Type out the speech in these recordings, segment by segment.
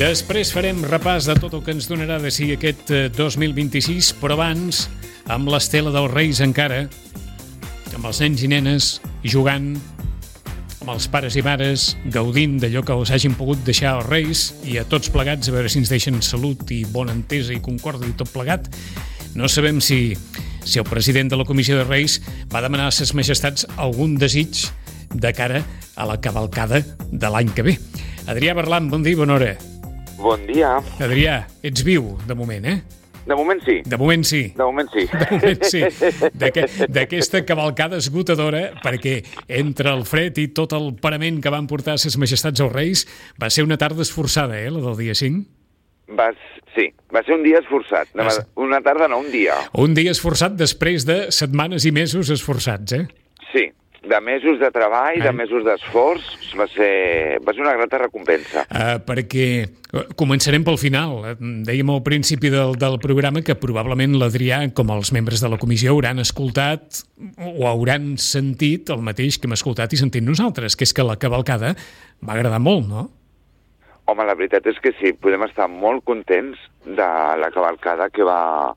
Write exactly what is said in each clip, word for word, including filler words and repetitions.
Després farem repàs de tot el que ens donarà de si aquest dos mil vint-i-sis, però abans, amb l'estela dels Reis encara, amb els nens i nenes jugant, amb els pares i mares gaudint d'allò que els hagin pogut deixar els Reis, i a tots plegats a veure si ens deixen salut i bona entesa i concòrdia i tot plegat. No sabem si, si el president de la Comissió de Reis va demanar a ses majestats algun desig de cara a la cavalcada de l'any que ve. Adrià Berlan, bon dia i bona hora. Bon dia. Adrià, ets viu, de moment, eh? De moment sí. De moment sí. De moment sí. De moment sí. D'aquesta cavalcada esgotadora, perquè entre el fred i tot el parament que van portar ses majestats als Reis, va ser una tarda esforçada, eh, la del dia cinc? Va, sí, va ser un dia esforçat. Va ser... Una tarda, no, un dia. Un dia esforçat després de setmanes i mesos esforçats, eh? Sí, de mesos de treball, eh? de mesos d'esforç, va ser, va ser una grata recompensa. Uh, perquè començarem pel final. Dèiem al principi del, del programa que probablement l'Adrià, com els membres de la comissió, hauran escoltat o hauran sentit el mateix que hem escoltat i sentit nosaltres, que és que la cavalcada va agradar molt, no? Home, la veritat és que sí, podem estar molt contents de la cavalcada que va,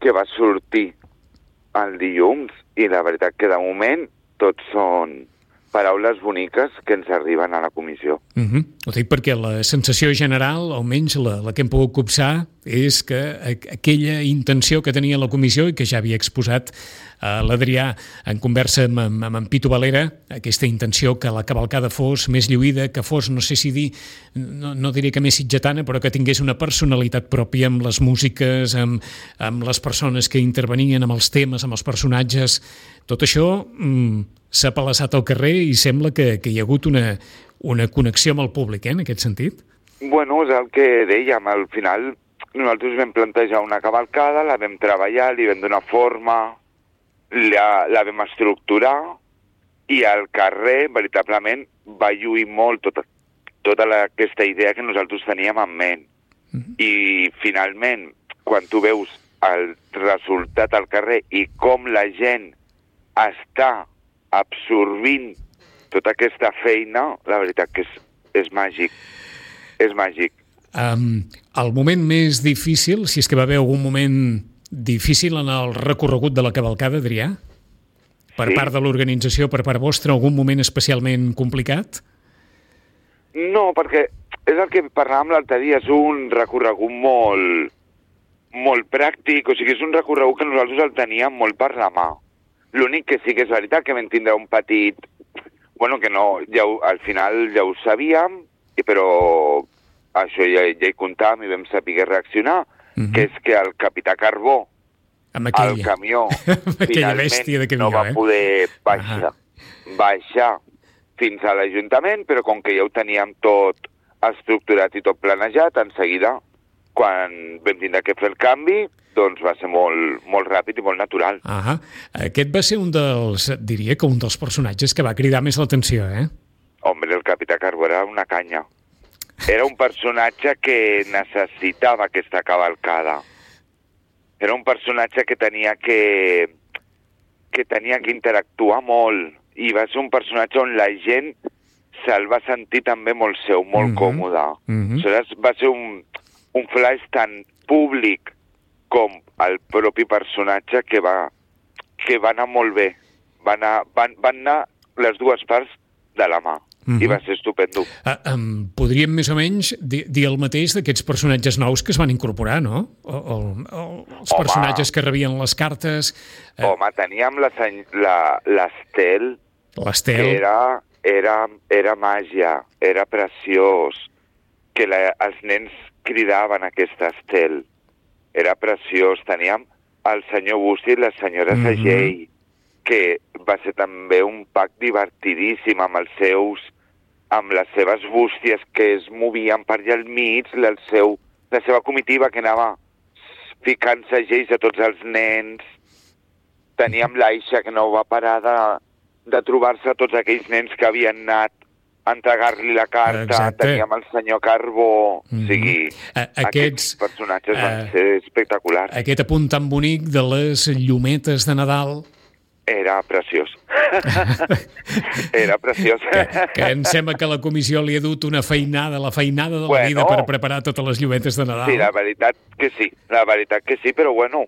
que va sortir el dilluns, i la veritat que de moment tots són paraules boniques que ens arriben a la comissió. Uh-huh. Ho dic perquè la sensació general, almenys la, la que hem pogut copsar, és que aquella intenció que tenia la comissió i que ja havia exposat uh, l'Adrià en conversa amb, amb, amb en Pitu Valera, aquesta intenció que la cavalcada fos més lluïda, que fos, no sé si dir, no, no diré que més sitgetana, però que tingués una personalitat pròpia amb les músiques, amb, amb les persones que intervenien, amb els temes, amb els personatges. Tot això mm, s'ha palassat al carrer i sembla que, que hi ha hagut una, una connexió amb el públic, eh, en aquest sentit. Bueno, és el que dèiem, al final nosaltres vam plantejar una cavalcada, la vam treballar, li vam donar forma, la, la vam estructurar, i al carrer, veritablement, va lluir molt tota, tota la, aquesta idea que nosaltres teníem en ment. Mm-hmm. I finalment, quan tu veus el resultat al carrer i com la gent està absorbint tota aquesta feina, la veritat que és, és màgic. És màgic. Um, el moment més difícil, si és que va haver algun moment difícil en el recorregut de la cavalcada, Adrià? Per sí? Part de l'organització, per part vostra, algun moment especialment complicat? No, perquè és el que parlàvem l'altre dia, és un recorregut molt, molt pràctic, o sigui, és un recorregut que nosaltres el teníem molt per la mà. L'únic que sí que és veritat que vam tindre un petit... Bueno, que no, ja ho, al final ja ho sabíem, però això ja, ja hi comptàvem i vam saber reaccionar, uh-huh. que és que el capità Carbó, aquella... el camió, finalment camió, no va eh? poder baixar, uh-huh. baixar fins a l'Ajuntament, però com que ja ho teníem tot estructurat i tot planejat, en seguida, quan vam tindre que fer el canvi, doncs va ser molt, molt ràpid i molt natural. Ahà. Aquest va ser un dels, diria que un dels personatges que va cridar més l'atenció, eh? Home, el capità Carbó era una canya. Era un personatge que necessitava aquesta cavalcada. Era un personatge que tenia que, que tenia que interactuar molt, i va ser un personatge on la gent se'l va sentir també molt seu, molt mm-hmm. còmode. Mm-hmm. Això va ser un, un flash tan públic com el propi personatge que va, que va anar molt bé. Va anar, van, van anar les dues parts de la mà. Mm-hmm. I va ser estupendo. Uh, um, podríem més o menys dir, dir el mateix d'aquests personatges nous que es van incorporar, no? O, o, o els Home. personatges que rebien les cartes... Uh... Home, teníem l'Estel. L'Estel. Era, era, era màgia, era preciós. Que la, els nens cridaven aquesta Estel. Era preciós. Teníem el senyor Busti i la senyora mm-hmm. Sagell, que va ser també un pack divertidíssim amb els seus, amb les seves bústies que es movien per allà al mig, el seu, la seva comitiva que anava ficant segells a tots els nens. Teníem l'Aixa, que no va parar de, de trobar-se tots aquells nens que havien anat a entregar-li la carta. Exacte. Teníem el senyor Carbó, mm-hmm. o sigui, a, aquests, aquests personatges uh, van ser espectaculars. Aquest apunt tan bonic de les llumetes de Nadal, Era preciós. Era preciós. Que, que em sembla que la comissió li ha dut una feinada, la feinada de la bueno, vida per preparar totes les llumetes de Nadal. Sí, la veritat que sí, la veritat que sí, però bueno,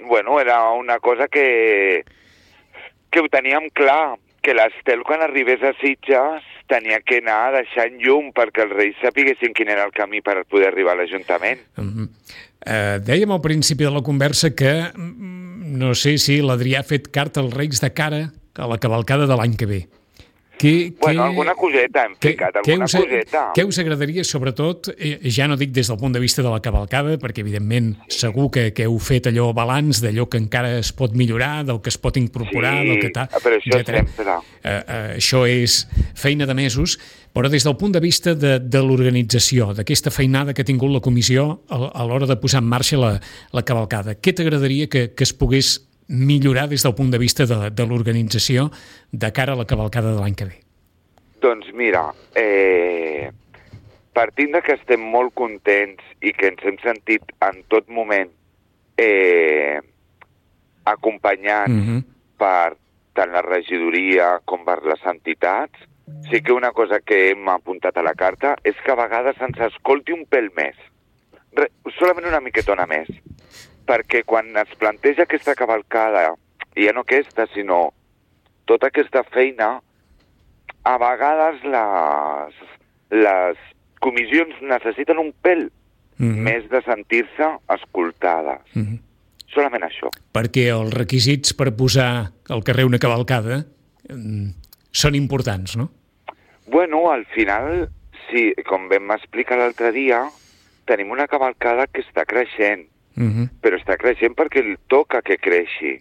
bueno era una cosa que, que ho teníem clar, que l'Estel quan arribés a Sitges tenia que anar deixant llum perquè els Reis sapiguessin quin era el camí per poder arribar a l'Ajuntament. Uh-huh. Uh, dèiem al principi de la conversa que no sé si l'Adrià ha fet carta als Reis de cara a la cavalcada de l'any que ve. Que, bueno, que, alguna coseta hem que, ficat, que alguna us, coseta. Què us agradaria, sobretot, eh, ja no dic des del punt de vista de la cavalcada, perquè evidentment sí. segur que, que heu fet allò balanç d'allò que encara es pot millorar, del que es pot incorporar, sí, del que tal, però això etcètera. sempre. Eh, eh, això és feina de mesos, però des del punt de vista de, de l'organització, d'aquesta feinada que ha tingut la comissió a, a l'hora de posar en marxa la, la cavalcada, què t'agradaria que, que es pogués millorar des del punt de vista de, de l'organització de cara a la cavalcada de l'any que ve? Doncs mira, eh, partint de que estem molt contents i que ens hem sentit en tot moment eh, acompanyats uh-huh. per tant la regidoria com per les entitats, sí que una cosa que hem apuntat a la carta és que a vegades ens escolti un pèl més, Re, solament una miquetona més, perquè quan es planteja aquesta cavalcada, i ja no aquesta, sinó tota aquesta feina, a vegades les, les comissions necessiten un pèl mm-hmm. més de sentir-se escoltades. Mm-hmm. Solament això. Perquè els requisits per posar al carrer una cavalcada mm, són importants, no? Bueno, al final, sí, com vam explicar l'altre dia, tenim una cavalcada que està creixent, mm-hmm. però està creixent perquè li toca que creixi.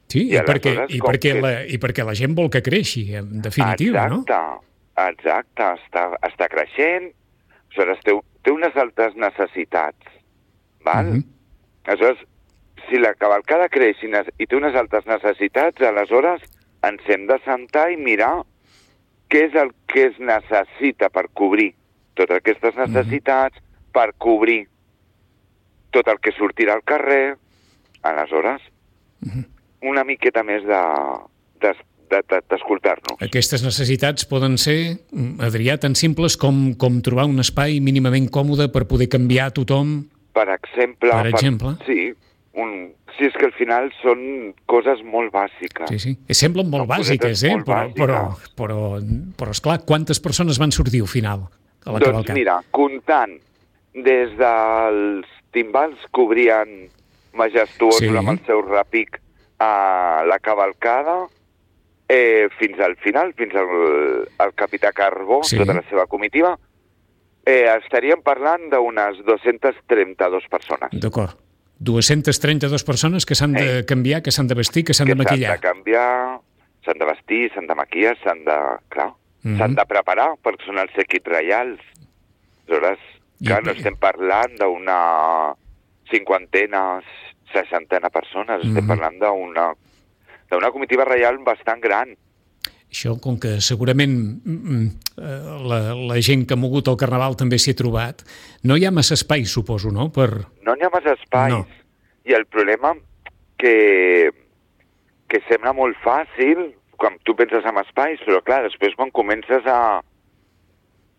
Sí, i, i, perquè, i, perquè que... la, i perquè la gent vol que creixi, en definitiva, exacte, no? Exacte, està, està creixent, aleshores té, té unes altres necessitats, val? Mm-hmm. Aleshores, si la cavalcada creix i, i té unes altres necessitats, aleshores ens hem de sentar i mirar què és el que es necessita per cobrir totes aquestes necessitats, mm-hmm. per cobrir tot el que sortirà al carrer, aleshores... Mm-hmm. una miqueta més de, de, de, de, d'escoltar-nos. Aquestes necessitats poden ser, Adrià, tan simples com, com trobar un espai mínimament còmode per poder canviar tothom? Per exemple. Per exemple? Per, sí, un, sí, és que al final són coses molt bàsiques. Sí, sí. Semblen molt són bàsiques, eh? Molt però, bàsiques. Però, però, però, esclar, quantes persones van sortir al final a la doncs cavalcada? Doncs mira, comptant des dels timbals que obrien majestuosos sí. amb el seu repic a la cavalcada eh, fins al final, fins al, al capità Carbó, sí. tota la seva comitiva, eh, estaríem parlant d'unes dues-centes trenta-dues persones. D'acord. dues-centes trenta-dues persones que s'han de eh. canviar, que s'han de vestir, que s'han que de maquillar. Que s'han de canviar, s'han de vestir, s'han de maquillar, s'han de... Clar, mm-hmm. s'han de preparar, perquè són els equips reials. Aleshores, clar, I... no estem parlant d'una cinquantena, seixantena persones, mm-hmm. estem parlant d'una d'una comitiva reial bastant gran. Això, com que segurament la, la gent que ha mogut el Carnaval també s'hi ha trobat, no hi ha massa espai, suposo, no? Per... No hi ha massa espais. No. I el problema que, que sembla molt fàcil quan tu penses en espais, però clar, després quan comences a,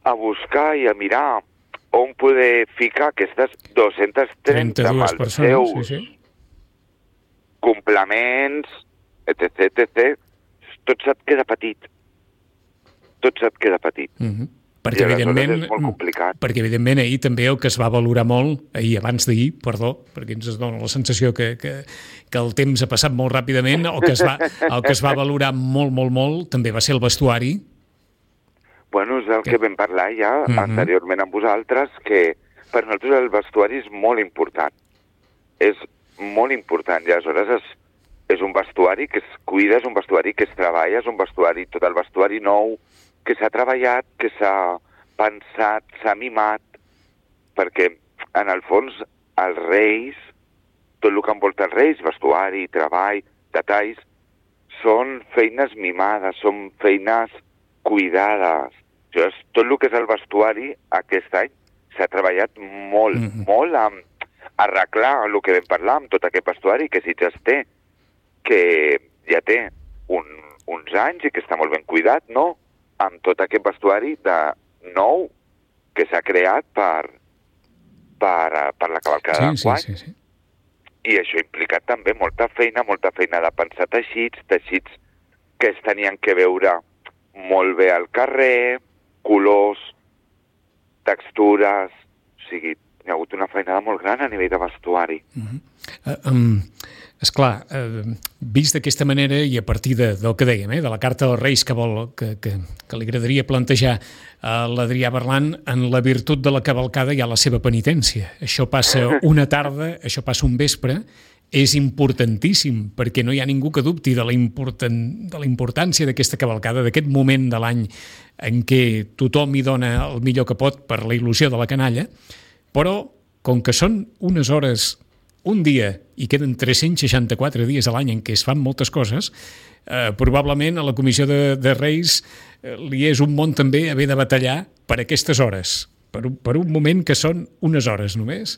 a buscar i a mirar on poder ficar aquestes dues-centes trenta amb els persones, seus sí, sí. complements, etc, etcètera, tot se't queda petit. Tot se't queda petit. Mm-hmm. Perquè, I evidentment, és molt complicat. Perquè, evidentment, ahir també el que es va valorar molt, ahir, abans d'ahir, perdó, perquè ens dona la sensació que, que, que el temps ha passat molt ràpidament, el que, es va, el que es va valorar molt, molt, molt, també va ser el vestuari. Bueno, és el que, que vam parlar ja mm-hmm. anteriorment amb vosaltres, que per nosaltres el vestuari és molt important. És molt important, i aleshores és, és un vestuari que es cuida, és un vestuari que es treballa, és un vestuari, tot el vestuari nou, que s'ha treballat, que s'ha pensat, s'ha mimat, perquè en el fons els reis, tot el que envolta els reis, vestuari, treball, detalls, són feines mimades, són feines cuidades. Llavors, tot el que és el vestuari aquest any s'ha treballat molt, mm-hmm. molt amb arreglar el que vam parlar amb tot aquest vestuari que Sitges té, que ja té un, uns anys i que està molt ben cuidat, no? Amb tot aquest vestuari de nou que s'ha creat per, per, per la cavalcada sí, d'enguany. Sí, sí, sí. I això ha implicat també molta feina, molta feina de pensar teixits, teixits que es tenien que veure molt bé al carrer, colors, textures, o sigui, hi ha hagut una feinada molt gran a nivell de vestuari. Uh-huh. uh, um, esclar, uh, vist d'aquesta manera i a partir de, del que dèiem, eh, de la carta dels Reis que, vol, que, que, que li agradaria plantejar a l'Adrià Berlan, en la virtut de la cavalcada hi ha la seva penitència. Això passa una tarda, això passa un vespre, és importantíssim, perquè no hi ha ningú que dubti de la, importan, de la importància d'aquesta cavalcada, d'aquest moment de l'any en què tothom hi dona el millor que pot per la il·lusió de la canalla, però com que són unes hores, un dia, i queden tres-cents seixanta-quatre dies a l'any en què es fan moltes coses, eh, probablement a la Comissió de, de Reis eh, li és un món també haver de batallar per aquestes hores, per un, per un moment que són unes hores només,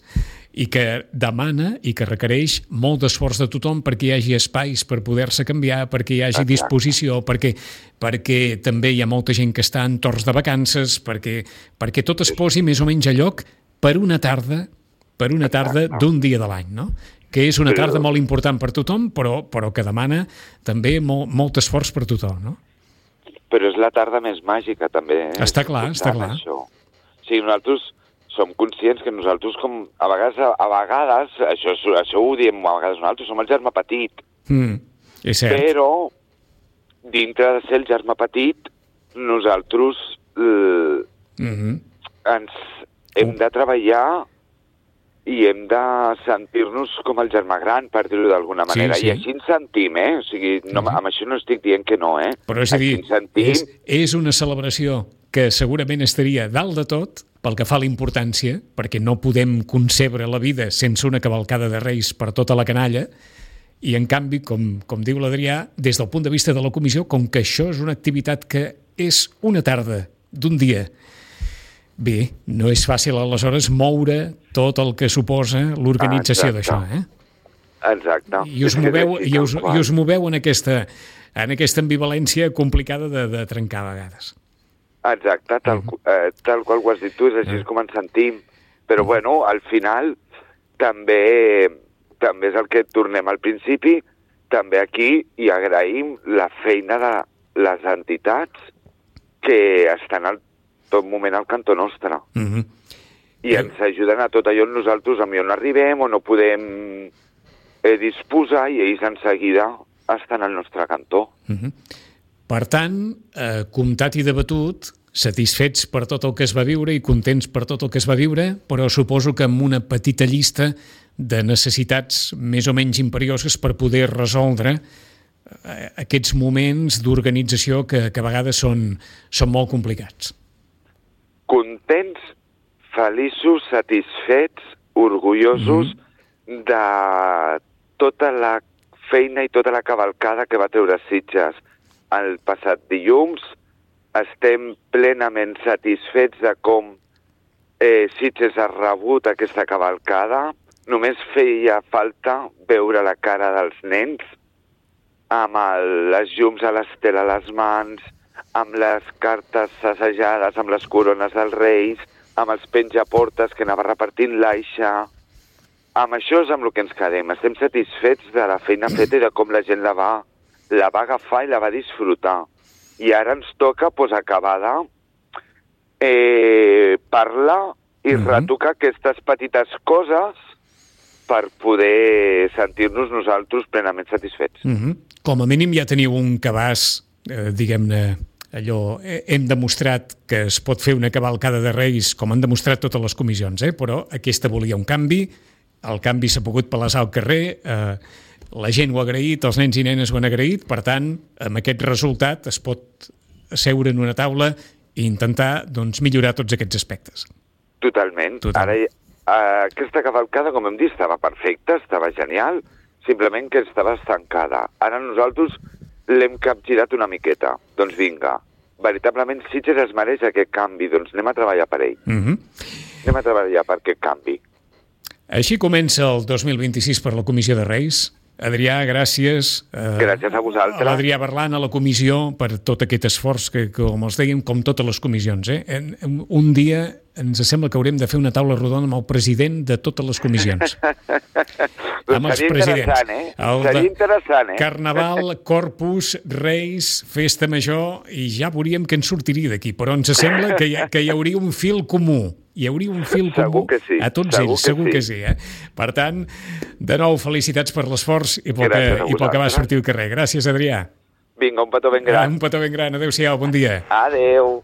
i que demana i que requereix molt d'esforç de tothom perquè hi hagi espais per poder-se canviar, perquè hi hagi disposició, perquè, perquè també hi ha molta gent que està en torns de vacances, perquè, perquè tot es posi més o menys a lloc per una tarda per una tarda d'un dia de l'any, no? Que és una tarda molt important per tothom, però, però que demana també molt, molt esforç per tothom, no? Però és la tarda més màgica, també. Eh? Està clar, està clar. Això. O sigui, nosaltres som conscients que nosaltres, com a vegades, a vegades això, això ho diem a vegades nosaltres, som el germà petit. Mm, és cert. Però, dintre de ser el germà petit, nosaltres eh, mm-hmm. ens hem de treballar i hem de sentir-nos com el germà gran, per dir-ho d'alguna manera. Sí, sí. I així ens sentim, eh? O sigui, no, uh-huh. amb això no estic dient que no, eh? Però és a dir, sentim... és, és una celebració que segurament estaria dalt de tot pel que fa a la importància, perquè no podem concebre la vida sense una cavalcada de Reis per tota la canalla, i en canvi, com, com diu l'Adrià, des del punt de vista de la comissió, com que això és una activitat que és una tarda d'un dia, bé, no és fàcil aleshores moure tot el que suposa l'organització d'això, eh? Exacte. I us moveu, i us, i us moveu en aquesta, en aquesta ambivalència complicada de, de trencar a vegades. Exacte, tal, uh-huh. eh, tal qual ho has dit tu, és així uh-huh. com ens sentim. Però, uh-huh. bueno, al final també, també és el que tornem al principi, també aquí hi agraïm la feina de les entitats que estan al tot moment al cantó nostre. Uh-huh. I ens ajuden a tot allò on nosaltres a millor no arribem o no podem eh, disposar i ells en seguida estan al nostre cantó. Uh-huh. Per tant, eh, comptat i debatut, satisfets per tot el que es va viure i contents per tot el que es va viure, però suposo que amb una petita llista de necessitats més o menys imperioses per poder resoldre eh, aquests moments d'organització que, que a vegades són, són molt complicats. Contents, feliços, satisfets, orgullosos mm-hmm. de tota la feina i tota la cavalcada que va treure Sitges el passat dilluns. Estem plenament satisfets de com eh, Sitges ha rebut aquesta cavalcada. Només feia falta veure la cara dels nens amb el, les llums a l'estela a les mans, amb les cartes assajades, amb les corones dels Reis, amb els penjaportes que anava repartint l'Aixa. Amb això és amb el que ens quedem. Estem satisfets de la feina feta i de com la gent la va, la va agafar i la va disfrutar. I ara ens toca pues, acabar de eh, parlar i uh-huh. retocar aquestes petites coses per poder sentir-nos nosaltres plenament satisfets. Uh-huh. Com a mínim ja teniu un cabàs, eh, diguem-ne, allò, hem demostrat que es pot fer una cavalcada de Reis com han demostrat totes les comissions, eh? Però aquesta volia un canvi, el canvi s'ha pogut palesar al carrer, eh, la gent ho ha agraït, els nens i nenes ho han agraït, per tant, amb aquest resultat es pot seure en una taula i intentar doncs, millorar tots aquests aspectes. Totalment. Totalment. Ara, aquesta cavalcada, com hem dit, estava perfecta, estava genial, simplement que estava estancada. Ara nosaltres l'hem capgirat una miqueta. Doncs vinga, veritablement Sitges es mereix aquest canvi, doncs anem a treballar per ell. Uh-huh. Anem a treballar per aquest canvi. Així comença el dos mil vint-i-sis per la Comissió de Reis. Adrià, gràcies. Gràcies a vosaltres. A l'Adrià Berlan, a la comissió, per tot aquest esforç que, com els dèiem, com totes les comissions. Eh? Un dia ens sembla que haurem de fer una taula rodona amb el president de totes les comissions. Amb els presidents. Eh? Seria interessant, eh? Carnaval, Corpus, Reis, Festa Major, i ja veuríem què ens sortiria d'aquí. Però ens sembla que hi, ha, que hi hauria un fil comú. Hi hauria un fil comú sí. a tots segur ells, segur que que sí. sí. Eh? Per tant, de nou, felicitats per l'esforç i pel que, i pel que va sortir al carrer. Gràcies, Adrià. Vinga, un petó ben gran. Un petó ben gran. Adéu-siau, bon dia. Adéu.